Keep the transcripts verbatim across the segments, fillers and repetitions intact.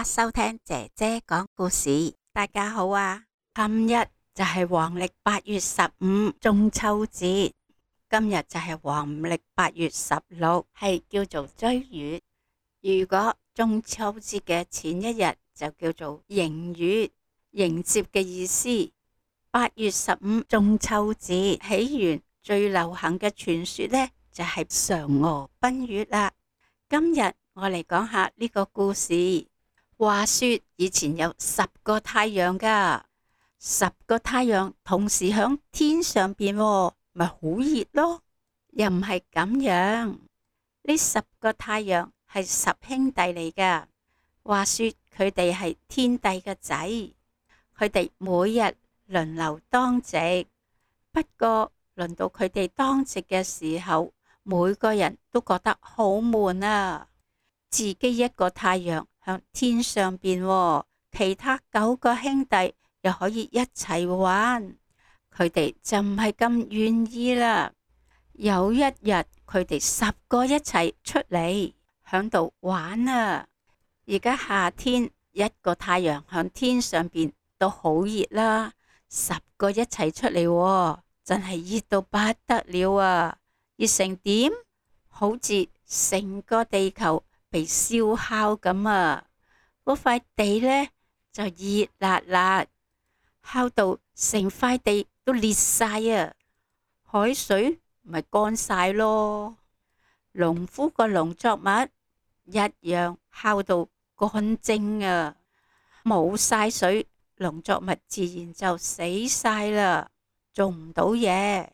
家收聽姐姐講故事。大家好啊，今日就係黃曆八月十五中秋節，今日就係黃曆八月十六，係叫做追月。如果中秋節嘅前一日就叫做迎月，迎接嘅意思。八月十五中秋節起源最流行嘅傳說呢，就係嫦娥奔月啦。今日我嚟講下呢個故事。話說以前有十個太陽噶，十個太陽同時響天上邊，咪好熱咯。又唔係咁樣，呢十個太陽係十兄弟嚟噶。話說佢哋係天帝嘅仔，佢哋每日輪流當值。不過輪到佢哋當值嘅時候，每個人都覺得好悶啊。自己一個太陽向天上邊，其他九個兄弟又可以一齊玩，佢哋就唔係咁願意啦。有一日，佢哋十個一齊出嚟響度玩啊！而家夏天，一個太陽向天上邊都好熱啦，十個一齊出嚟，真係熱到不得了啊！熱成點？好似成個地球被燒烤咁啊！嗰塊地呢就熱辣辣，烤到成塊地都裂晒啊！海水咪乾晒咯，農夫個農作物一樣烤到乾蒸啊！冇晒水，農作物自然就死晒啦，種唔到嘢，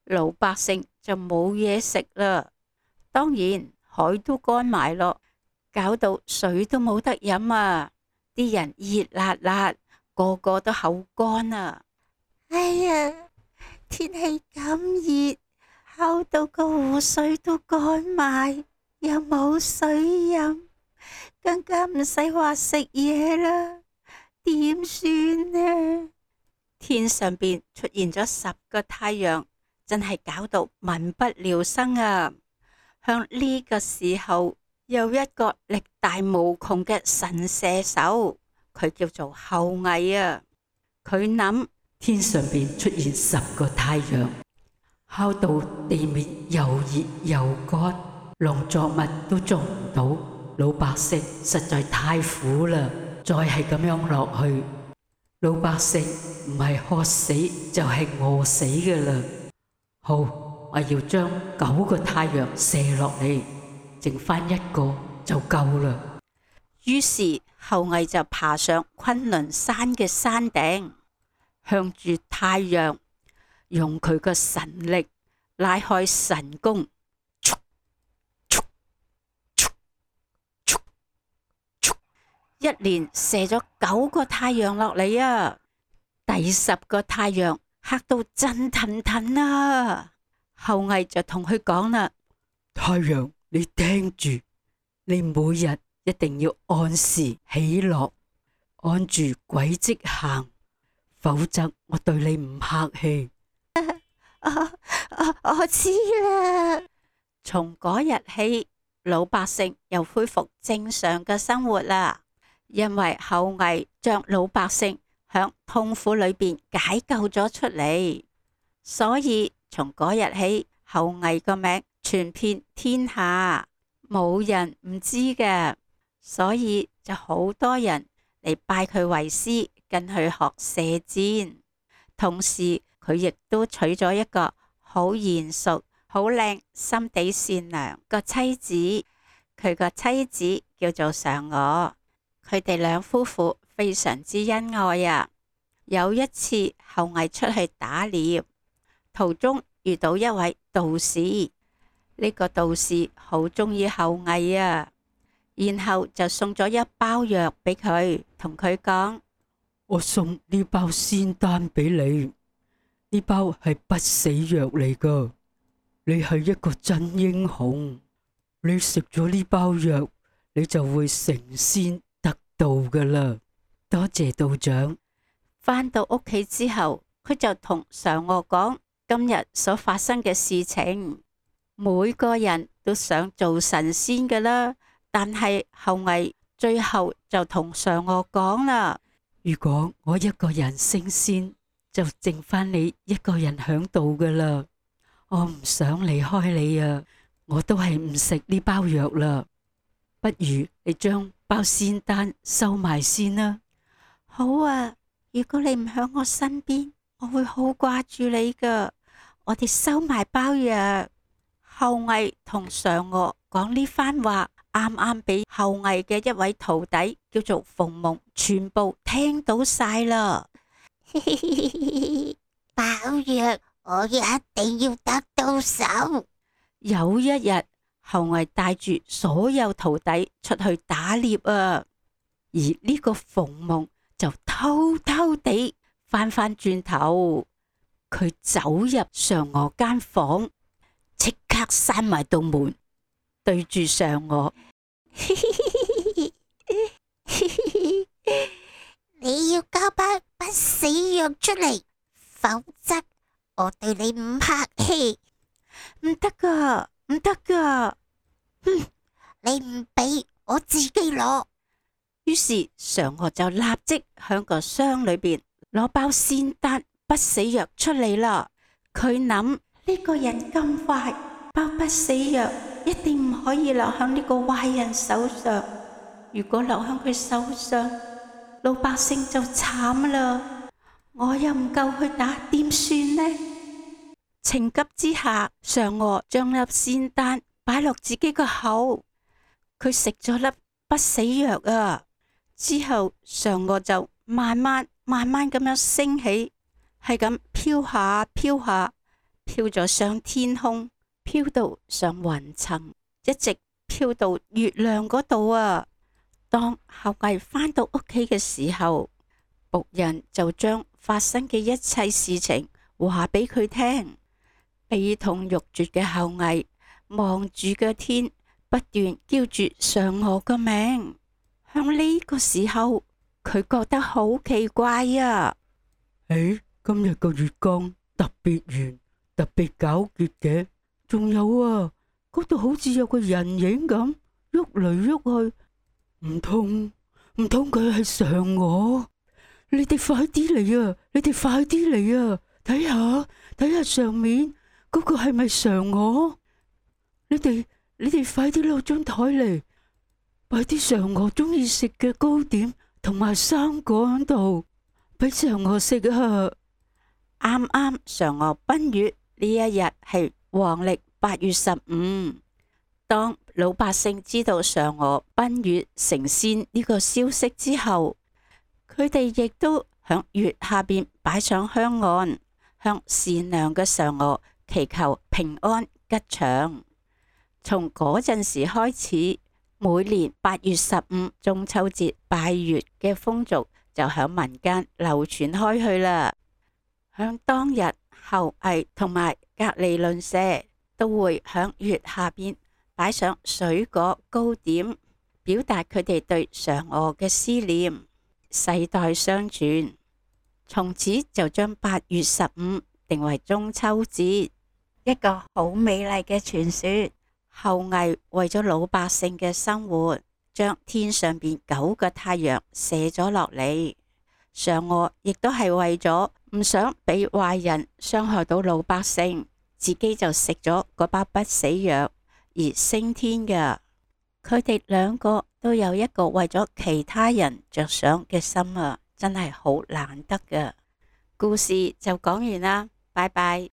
老百姓就冇嘢食啦。當然海都乾埋咯，搞到水都冇得飲啊！啲人熱辣辣，個個都口乾啊！哎呀，天氣咁熱，烤到個湖水都乾埋，又冇水飲，更加唔使話食嘢啦，點算呢？天上邊出現咗十個太陽，真係搞到民不聊生啊！向呢個時候，有一個力大無窮嘅神射手，佢叫做后羿啊。佢諗天上邊出現十個太陽，烤到地面又熱又乾，農作物都種唔到，老百姓實在太苦啦。再係咁樣落去，老百姓唔係渴死就係餓死㗎啦。好。我要將九個太陽射落嚟，剩翻一個就夠啦。於是后羿就爬上崑崙山嘅山頂，向住太陽用佢個神力拉開神弓，一連射咗九個太陽落嚟啊！第十個太陽嚇到震騰騰啊！后羿就同佢講啦：太陽，你聽住，你每日一定要按時起落，按住軌跡行，否則我對你唔客氣。啊啊、我知啦。從嗰日起，老百姓又恢復正常嘅生活啦，因為后羿將老百姓響痛苦裏邊解救咗出嚟，所以從嗰日起，后羿個名傳遍天下，冇人唔知嘅，所以就好多人嚟拜佢為師，跟佢學射箭。同時佢亦都娶咗一個好賢淑、好靚、心地善良個妻子，佢個妻子叫做嫦娥。佢哋兩夫婦非常之恩愛啊！有一次后羿出去打獵，途中遇到一位道士，呢、這個道士好中意后羿啊，然後就送咗一包藥俾佢，同佢講：我送呢包仙丹俾你，呢包係不死藥嚟噶，你係一個真英雄，你食咗呢包藥，你就會成仙得道噶啦。多謝道長。返到屋企之後，佢就同嫦娥講今日所發生嘅事情。每個人都想做神仙㗎啦，但係后羿最後就同嫦娥講啦：如果我一個人升仙，就剩翻你一個人響度噶啦。我唔想離開你啊，我都係唔食呢包藥啦。不如你將包仙丹收埋先啦。好啊，如果你唔響我身邊，我會好掛住你噶。我哋收埋包藥。后羿同嫦娥講呢番話，啱啱俾后羿嘅一位徒弟叫做馮蒙全部聽到晒啦。包藥我一定要得到手。有一日，后羿帶住所有徒弟出去打獵啊，而呢個馮蒙就偷偷地翻返轉頭，佢走入嫦娥間房，即刻閂埋道門，對住嫦娥：你要交包不死藥出嚟，否則我對你唔客氣。唔得噶，唔得噶！哼，你唔俾我自己攞。於是嫦娥就立即響個箱裏邊攞包仙丹不死藥出嚟啦。佢諗，呢個人咁壞，包不死藥一定唔可以留響呢個壞人手上。如果留響佢手上，老百姓就慘啦。我又唔夠去打，點算呢？情急之下，嫦娥將粒仙丹擺落自己個口，佢食咗粒不死藥啊。之後嫦娥就慢慢慢慢咁樣升起，係咁飄下飄下，飄咗上天空，飄到上雲層，一直飄到月亮嗰度啊。當后羿返到屋企嘅時候，僕人就將發生嘅一切事情話俾佢聽。悲痛欲絕嘅后羿望住個天，不斷叫住嫦娥個名。響呢個時候，佢覺得好奇怪啊！誒，今日個月光特別圓，特別皎潔嘅，仲有啊，嗰度好似有個人影咁喐嚟喐去，唔通唔通佢係嫦娥？你哋快啲嚟啊！你哋快啲嚟啊！睇下睇下上面嗰個係咪嫦娥？你哋你哋快啲攞張台嚟，擺啲嫦娥中意食嘅糕點同埋生果喺度，俾嫦娥食啊！啱啱嫦娥奔月呢一日係黃曆八月十五。當老百姓知道嫦娥奔月成仙呢個消息之後，佢哋亦都響月下邊擺上香案，向善良嘅嫦娥祈求平安吉祥。從嗰陣時開始，每年八月十五中秋節拜月嘅風俗就響民間流傳開去啦。響當日，后羿同埋隔籬鄰舍都會響月下邊擺上水果糕點，表達佢哋對嫦娥嘅思念，世代相傳。從此就將八月十五定為中秋節，一個好美麗嘅傳說。后羿為咗老百姓嘅生活，將天上邊九個太陽射咗落嚟。嫦娥亦都係為咗唔想俾壞人傷害到老百姓，自己就食咗嗰包不死藥而升天嘅。佢哋兩個都有一個為咗其他人着想嘅心啊，真係好難得㗎。故事就講完啦，拜拜。